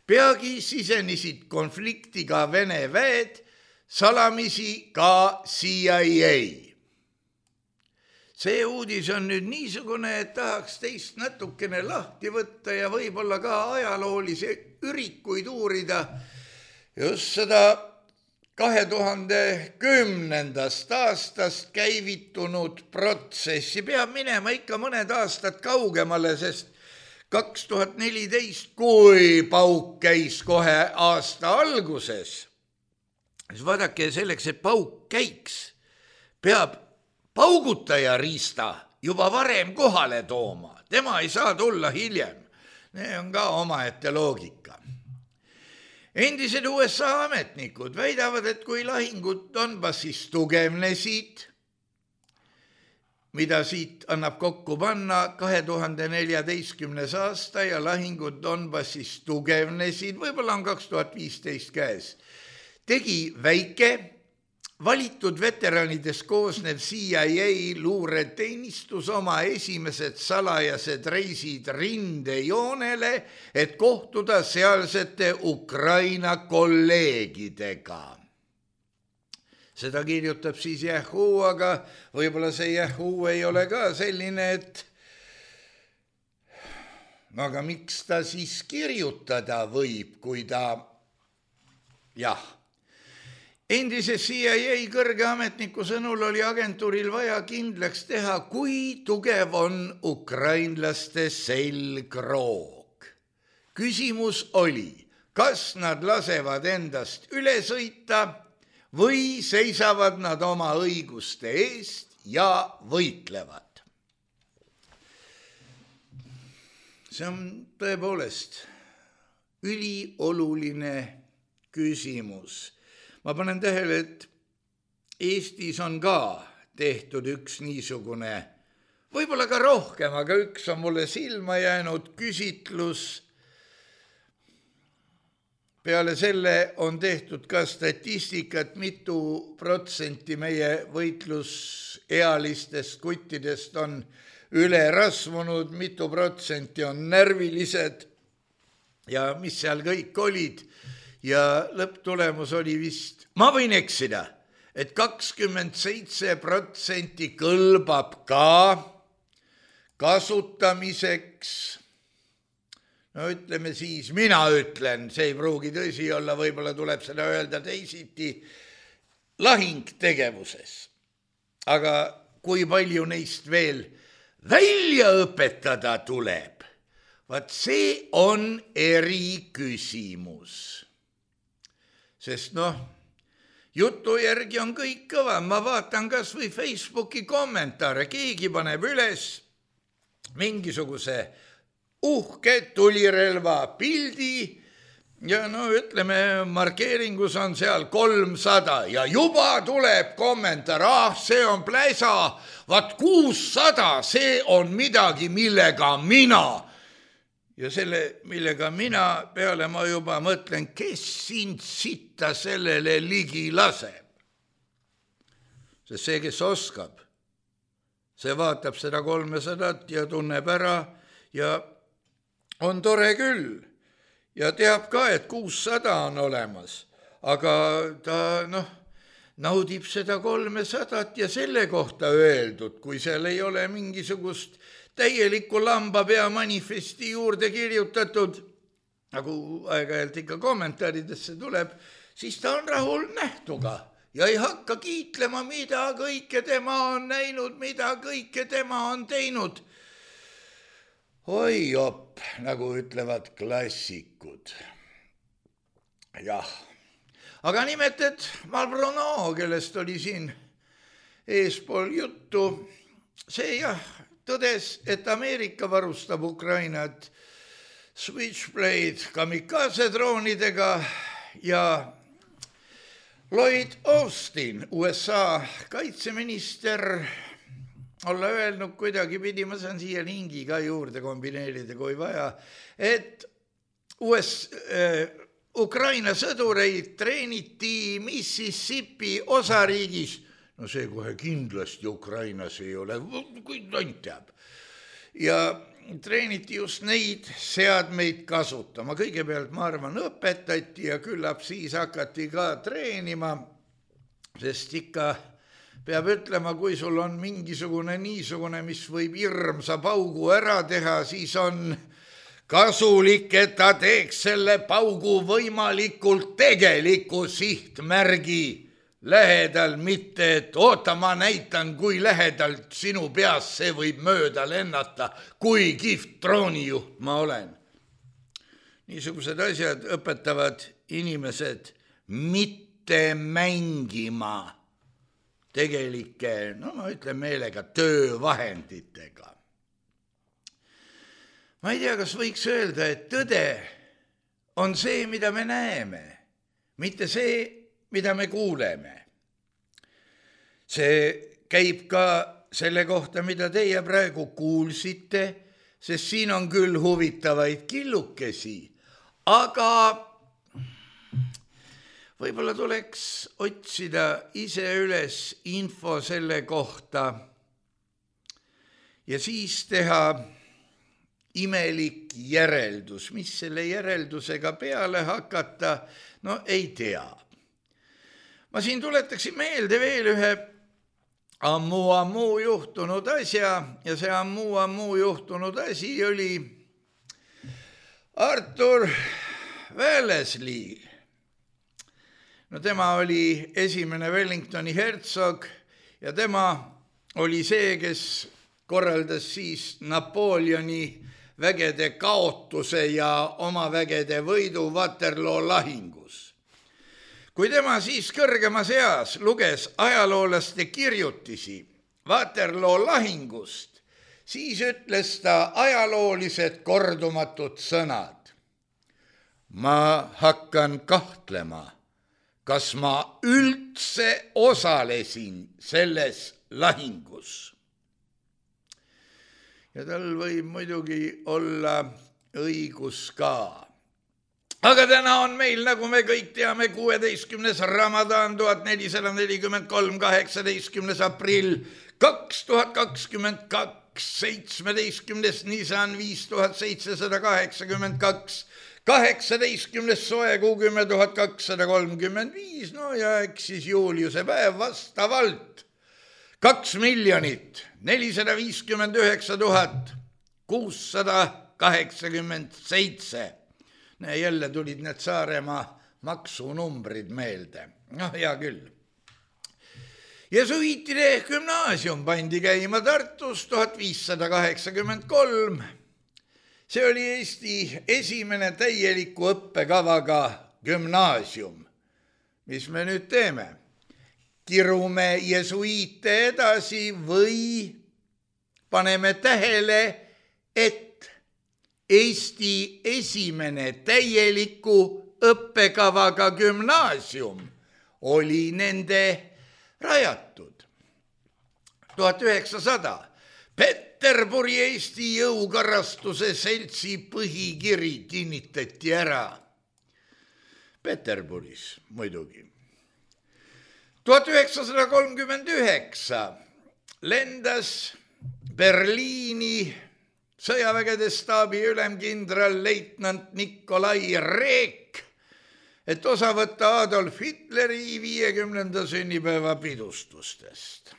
Peagi sisenesid konflikti ka Vene väed, salamisi ka CIA. See uudis on nüüd niisugune, et tahaks teist natukene lahti võtta ja võib-olla ka ajaloolisi ürikuid uurida just seda 2010. aastast käivitunud protsessi. Peab minema ikka mõned aastad kaugemale, sest 2014, kui pauk käis kohe aasta alguses, siis vaadake, selleks, et pauk käiks, peab paugutaja riista juba varem kohale tooma. Tema ei saa tulla hiljem. See on ka omaette loogika. Endised USA ametnikud väidavad, et kui lahingud Donbassis tugevnesid, mida siit annab kokku panna 2014. aasta ja lahingud Donbassis tugevnesid, võib-olla on 2015 käes, tegi väike valitud veteranidest koosnev CIA luureteenistus oma esimesed salajased reisid rindejoonele, et kohtuda sealsete Ukraina kolleegidega. Seda kirjutab siis Yahoo, aga võib-olla see Yahoo ei ole ka selline, et aga miks ta siis kirjutada võib, kui ta Endise CIA kõrge ametniku sõnul oli agentuuril vaja kindlaks teha, kui tugev on ukrainlaste selgroog. Küsimus oli, kas nad lasevad endast üle sõita või seisavad nad oma õiguste eest ja võitlevad. See on tõepoolest ülioluline küsimus. Ma panen tähele, et Eestis on ka tehtud üks niisugune, võib-olla ka rohkem, aga üks on mulle silma jäänud küsitlus. Peale selle on tehtud ka statistikat, mitu protsenti meie võitlusealistest kuttidest on üle rasvunud, mitu protsenti on närvilised ja mis seal kõik olid. Ja lõpptulemus oli vist, ma võin eksida, et 27% kõlbab ka kasutamiseks. No ütleme siis, mina ütlen, see ei pruugi tõsi olla, võib-olla tuleb seda öelda teisiti, lahingtegevuses. Aga kui palju neist veel välja õpetada tuleb, vaat see on eriküsimus. Sest jutu järgi on kõik kõva. Ma vaatan kas või Facebooki kommentaare. Keegi paneb üles mingisuguse uhke tulirelva pildi ja ütleme, markeeringus on seal 300 ja juba tuleb kommentaar, see on pläsa, vaat 600, see on midagi, millega mina. Ja selle, millega mina peale ma juba mõtlen, kes sind sitta sellele ligi laseb. Sest see, kes oskab, see vaatab seda 300 ja tunneb ära ja on tore küll ja teab ka, et 600 on olemas, aga ta naudib seda 300 ja selle kohta öeldud, kui seal ei ole mingisugust täielikku lambapea manifesti juurde kirjutatud, nagu aeg-ajalt ikka kommentaaridesse tuleb, siis ta on rahul nähtuga ja ei hakka kiitlema, mida kõike tema on näinud, mida kõike tema on teinud. Oi jopp, nagu ütlevad klassikud. Jah, aga nimeted Malbrono, kellest oli siin eespool juttu, see tõdes, et Ameerika varustab Ukrainat Switchblade kamikaze droonidega ja Lloyd Austin, USA kaitseminister, olla öelnud kuidagi pidi, ma saan siia lingi ka juurde kombineerida, kui vaja, et Ukraina sõdureid treeniti Mississippi osariigis. No see kohe kindlasti Ukrainas ei ole, kui tont teab. Ja treeniti just neid seadmeid kasutama. Kõigepealt, ma arvan, õpetati ja küllap siis hakati ka treenima, sest ikka peab ütlema, kui sul on mingisugune niisugune, mis võib hirmsa paugu ära teha, siis on kasulik, et ta teeks selle paugu võimalikult tegeliku sihtmärgi lähedal, mitte et oota, ma näitan, kui lähedalt sinu peas see võib mööda lennata, kui kihvt droonijuht ma olen. Niisugused asjad õpetavad inimesed mitte mängima tegelike, ma ütlen meelega, töövahenditega. Ma ei tea, kas võiks öelda, et tõde on see, mida me näeme, mitte see, mida me kuuleme. See käib ka selle kohta, mida teie praegu kuulsite, sest siin on küll huvitavaid killukesi, aga võib-olla tuleks otsida ise üles info selle kohta ja siis teha imelik järeldus. Mis selle järeldusega peale hakata, ei tea. Ma siin tuletaksin meelde veel ühe ammu juhtunud asja ja see ammu juhtunud asi oli Arthur Wellesley. Tema oli esimene Wellingtoni hertsog ja tema oli see, kes korraldas siis Napoleoni vägede kaotuse ja oma vägede võidu Waterloo lahingus. Kui tema siis kõrgemas eas luges ajaloolaste kirjutisi Waterloo lahingust, siis ütles ta ajaloolised kordumatud sõnad. Ma hakkan kahtlema, kas ma üldse osalesin selles lahingus. Ja tal võib muidugi olla õigus ka. Aga täna on meil, nagu me kõik teame, 16. Ramadan 1443, 18. aprill 2022, 17. Nisan 5782, 18. soe kuu 10 235, ja eks siis Juliuse päev vastavalt 2 459 687. Jälle tulid need Saaremaa maksunumbrid meelde. Hea küll. Jesuiitide gümnaasium pandi käima Tartus 1583. See oli Eesti esimene täieliku õppekavaga gümnaasium. Mis me nüüd teeme? Kirume jesuiite edasi või paneme tähele, et Eesti esimene täieliku õppekavaga gümnaasium oli nende rajatud. 1900 Peterburi Eesti jõukarastuse seltsi põhikiri kinnitati ära. Peterburis muidugi. 1939 lendas Berliini sõjavägede staabi ülemkindral leitnant Nikolai Reek, et osa võtta Adolf Hitleri 50. sünnipäeva pidustustest.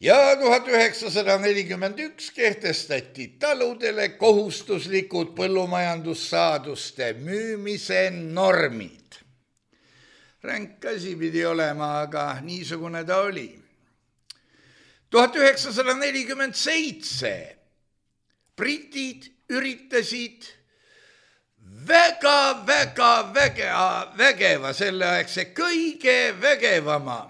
Ja 1941 kehtestati taludele kohustuslikud põllumajandussaaduste müümise normid. Ränk asi pidi olema, aga niisugune ta oli. 1947 britid üritasid väga vägeva selleaegse kõige vägevama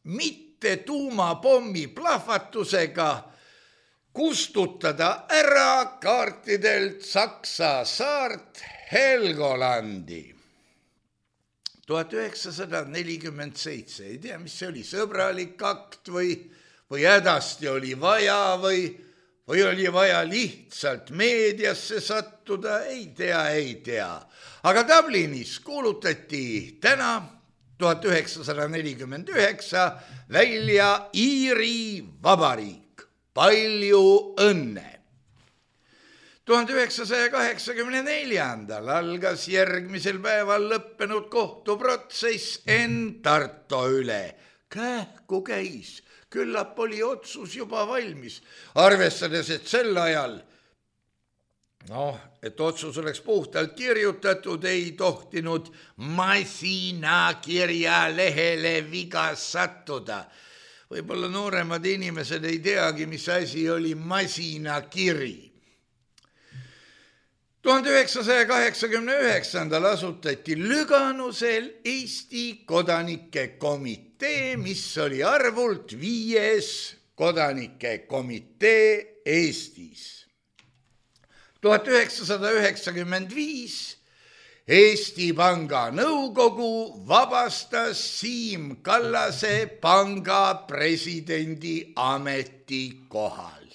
mitte tuumapommi plahvatusega kustutada ära kaartidelt Saksa saart Helgolandi. 1947, ei tea, mis see oli, sõbralik akt või hädasti oli vaja või oli vaja lihtsalt meediasse sattuda, ei tea. Aga Dublinis kuulutati täna 1949 välja Iiri Vabariik. Palju õnne! 1984. algas järgmisel päeval lõppenud kohtuprotsess Enn Tarto üle. Kähku käis. Küllap oli otsus juba valmis, arvestades, et sel ajal, et otsus oleks puhtalt kirjutatud, ei tohtinud masinakirja lehele viga sattuda. Võib-olla nooremad inimesed ei teagi, mis asi oli masinakiri. 1989. asutati Lüganusel Eesti kodanike komitee, mis oli arvult 5. kodanike komitee Eestis. 1995 Eesti Panga nõukogu vabastas Siim Kallase panga presidendi ametikohalt.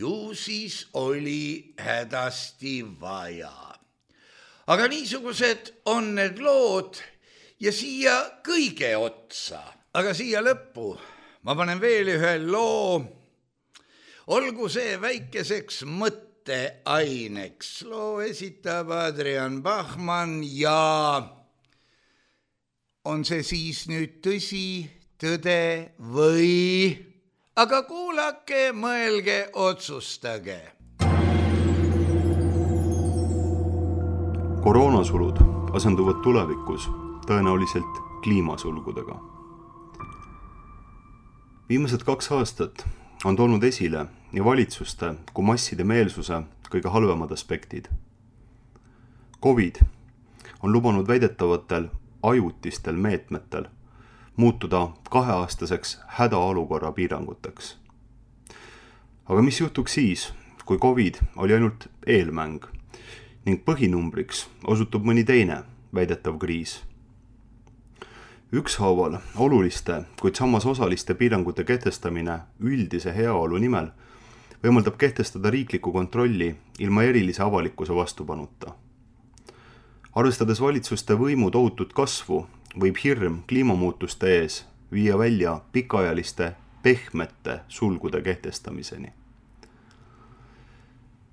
Ju siis oli hädasti vaja. Aga niisugused on need lood ja siia kõige otsa, aga siia lõppu ma panen veel ühe loo. Olgu see väikeseks mõtteaineks. Loo esitab Adrian Bachmann ja on see siis nüüd tõsi, tõde või... Aga kuulake, mõelge, otsustage. Koroonasulud asenduvad tulevikus tõenäoliselt kliimasulgudega. Viimased 2 aastat on toonud esile nii valitsuste kui masside meelsuse kõige halvemad aspektid. COVID on lubanud väidetavatel ajutistel meetmetel muutuda 2-aastaseks hädaolukorra piiranguteks. Aga mis juhtuks siis, kui COVID oli ainult eelmäng ning põhinumbriks osutub mõni teine väidetav kriis? Ükshaaval oluliste, kuid samas osaliste piirangute kehtestamine üldise heaolu nimel võimaldab kehtestada riiklikku kontrolli ilma erilise avalikkuse vastupanuta. Arvestades valitsuste võimu tohutut kasvu, võib hirm kliimamuutuste ees viia välja pikaajaliste pehmete sulgude kehtestamiseni.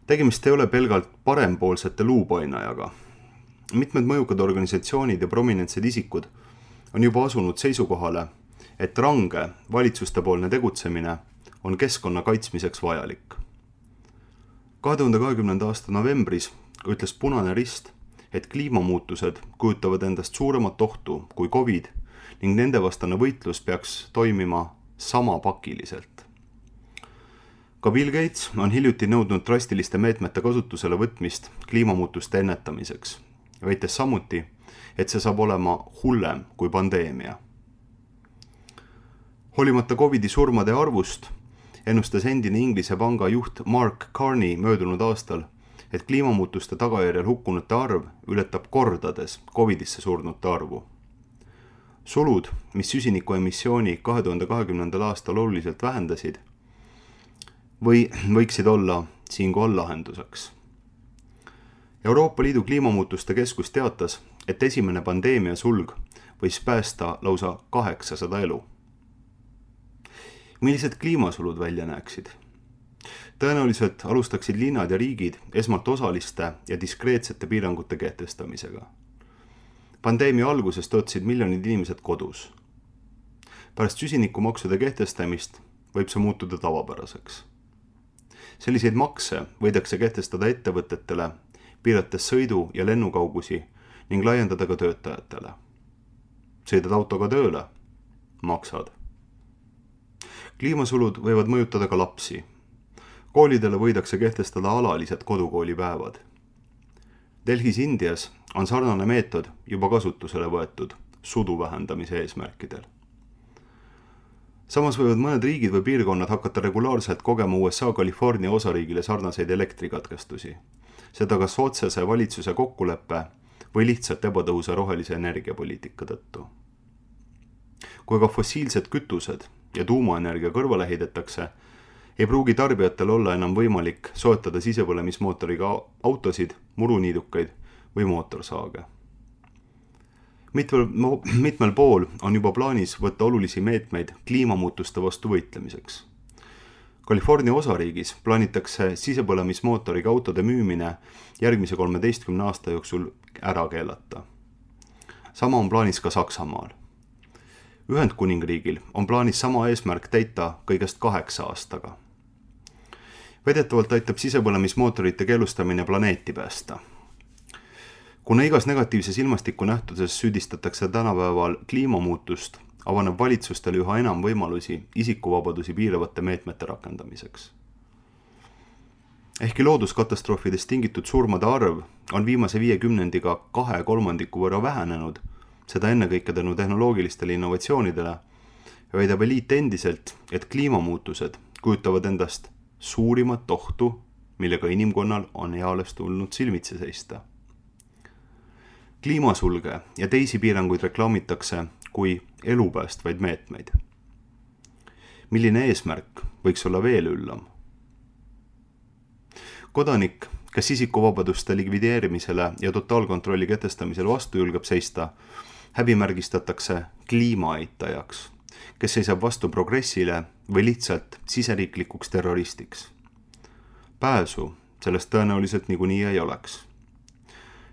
Tegemist ei ole pelgalt parempoolsete luupainajaga. Mitmed mõjukad organisatsioonid ja prominentsed isikud on juba asunud seisukohale, et range valitsustepoolne tegutsemine on keskkonna kaitsmiseks vajalik. 2020. aasta novembris ütles Punane Rist, et kliimamuutused kujutavad endast suuremat ohtu kui COVID ning nende vastane võitlus peaks toimima sama pakiliselt. Ka Bill Gates on hiljuti nõudnud drastiliste meetmete kasutusele võtmist kliimamuutuste ennetamiseks, väites samuti, et see saab olema hullem kui pandeemia. Hoolimata COVIDi surmade arvust ennustas endine Inglise panga juht Mark Carney möödunud aastal, et kliimamuutuste tagajärjel hukkunute arv ületab kordades COVIDisse surnute arvu. Sulud, mis süsinikuemissiooni 2020. aastal oluliselt vähendasid, võiksid olla siinkohal lahenduseks. Euroopa Liidu kliimamuutuste keskus teatas, et esimene pandeemia sulg võis päästa lausa 800 elu. Millised kliimasulud välja näeksid? Tõenäoliselt alustaksid linnad ja riigid esmalt osaliste ja diskreetsete piirangute kehtestamisega. Pandeemia alguses töötasid miljonid inimesed kodus. Pärast süsinikumaksude kehtestamist võib see muutuda tavapäraseks. Selliseid makse võidakse kehtestada ettevõtetele, piirates sõidu- ja lennukaugusi ning laiendada ka töötajatele. Sõidad autoga tööle? Maksad. Kliimasulud võivad mõjutada ka lapsi. Koolidele võidakse kehtestada alalised kodukoolipäevad. Delhis Indias on sarnane meetod juba kasutusele võetud sudu vähendamise eesmärkidel. Samas võivad mõned riigid või piirkonnad hakata regulaarselt kogema USA California osariigile sarnaseid elektrikatkestusi. Seda kas otsese valitsuse kokkuleppe või lihtsalt ebatõhusa rohelise energiapoliitika tõttu. Kui ka fossiilsed kütused ja tuumaenergia kõrvale heidetakse, ei pruugi tarbijatel olla enam võimalik soetada sisepõlemismootoriga autosid, muruniidukaid või mootorsaage. Mitmel pool on juba plaanis võtta olulisi meetmeid kliimamuutuste vastu võitlemiseks. California osariigis plaanitakse sisepõlemismootoriga autode müümine järgmise 13 aasta jooksul ära keelata. Sama on plaanis ka Saksamaal. Ühendkuningriigil on plaanis sama eesmärk täita kõigest 8 aastaga. Väidetavalt aitab sisepõlemismootorite keelustamine planeeti päästa. Kuna igas negatiivses ilmastikunähtuses süüdistatakse tänapäeval kliimamuutust, avaneb valitsustel üha enam võimalusi isikuvabadusi piiravate meetmete rakendamiseks. Ehkki looduskatastroofidest tingitud surmade arv on viimase 50-ga 2/3 võrra vähenenud, seda ennekõike tänu tehnoloogilistele innovatsioonidele, väidab eliit endiselt, et kliimamuutused kujutavad endast suurimat ohtu, millega inimkonnal on eales tulnud silmitsi seista. Kliimasulge ja teisi piiranguid reklaamitakse kui elupäästvaid meetmeid. Milline eesmärk võiks olla veel üllam? Kodanik, kes isikuvabaduste likvideerimisele ja totaalkontrolli kehtestamisel vastu julgeb seista, häbimärgistatakse kliimaeitajaks, kes seisab vastu progressile või lihtsalt siseriiklikuks terroristiks. Pääsu sellest tõenäoliselt niikuinii ei oleks.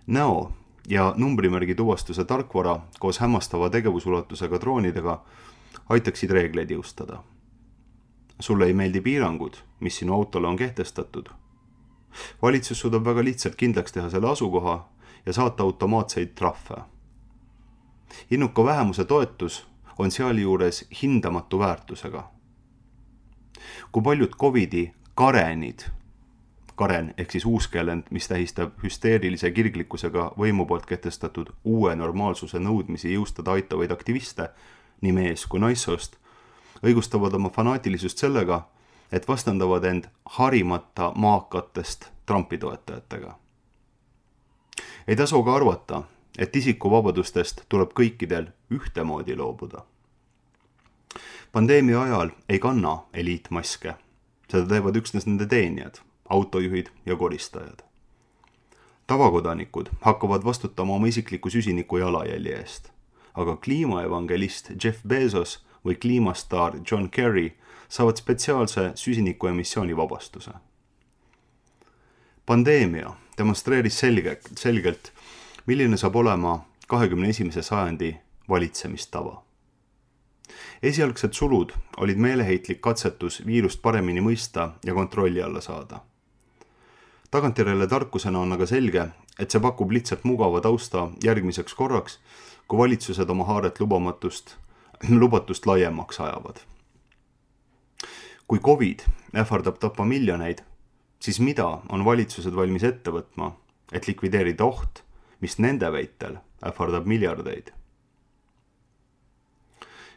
Näo ja numbrimärgi tuvastuse tarkvara koos hämmastava tegevusulatusega droonidega aitaksid reegleid jõustada. Sulle ei meeldi piirangud, mis sinu autole on kehtestatud. Valitsus suudab väga lihtsalt kindlaks teha selle asukoha ja saata automaatseid trahve. Innuka vähemuse toetus on sealjuures hindamatu väärtusega. Kui paljud Covidi karenid, karen ehk siis uuskeelend, mis tähistab hüsteerilise kirglikkusega võimu poolt kehtestatud uue normaalsuse nõudmisi jõustada aitavaid aktiviste, nii mees kui naissoost, õigustavad oma fanaatilisust sellega, et vastandavad end harimata maakatest Trumpi toetajatega. Ei tasu ka arvata, et isikuvabadustest tuleb kõikidel ühtemoodi loobuda. Pandeemia ajal ei kanna eliitmaske, seda teevad üksnes nende teenijad, autojuhid ja koristajad. Tavakodanikud hakkavad vastutama oma isikliku süsiniku jalajälje eest, aga kliimaevangelist Jeff Bezos või kliimastaar John Kerry saavad spetsiaalse süsinikuemissiooni vabastuse. Pandeemia demonstreeris selgelt, milline saab olema 21. sajandi valitsemistava. Esialgsed sulud olid meeleheitlik katsetus viirust paremini mõista ja kontrolli alla saada. Tagantjärele tarkusena on aga selge, et see pakub lihtsalt mugava tausta järgmiseks korraks, kui valitsused oma haaret lubatust laiemaks ajavad. Kui Covid ähvardab tappa miljoneid, siis mida on valitsused valmis ette võtma, et likvideerida oht, mis nende väitel ähvardab miljardeid?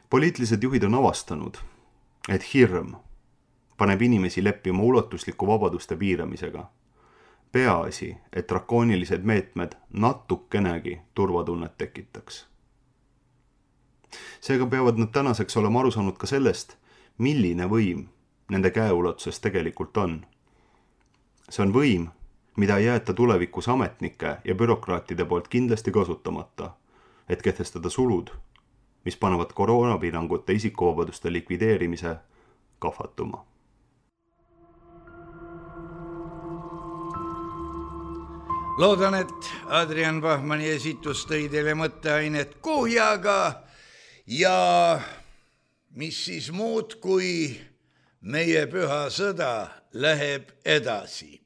Poliitilised juhid on avastanud, et hirm paneb inimesi leppima ulatusliku vabaduste piiramisega. Peaasi, et drakoonilised meetmed natukenegi turvatunnet tekitaks. Seega peavad nad tänaseks olema aru saanud ka sellest, milline võim nende käeulatuses tegelikult on. See on võim, mida ei jäeta tulevikus ametnike ja bürokraatide poolt kindlasti kasutamata, et kehtestada sulud, mis panevad koroonapiirangute isikuvabaduste likvideerimise kahvatuma. Loodan, et Adrian Bachmanni esitus tõi teile mõtteainet kuhjaga ja mis siis muud, kui meie püha sõda läheb edasi.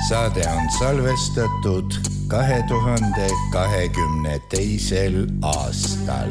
saade on salvestatud 2022. aastal.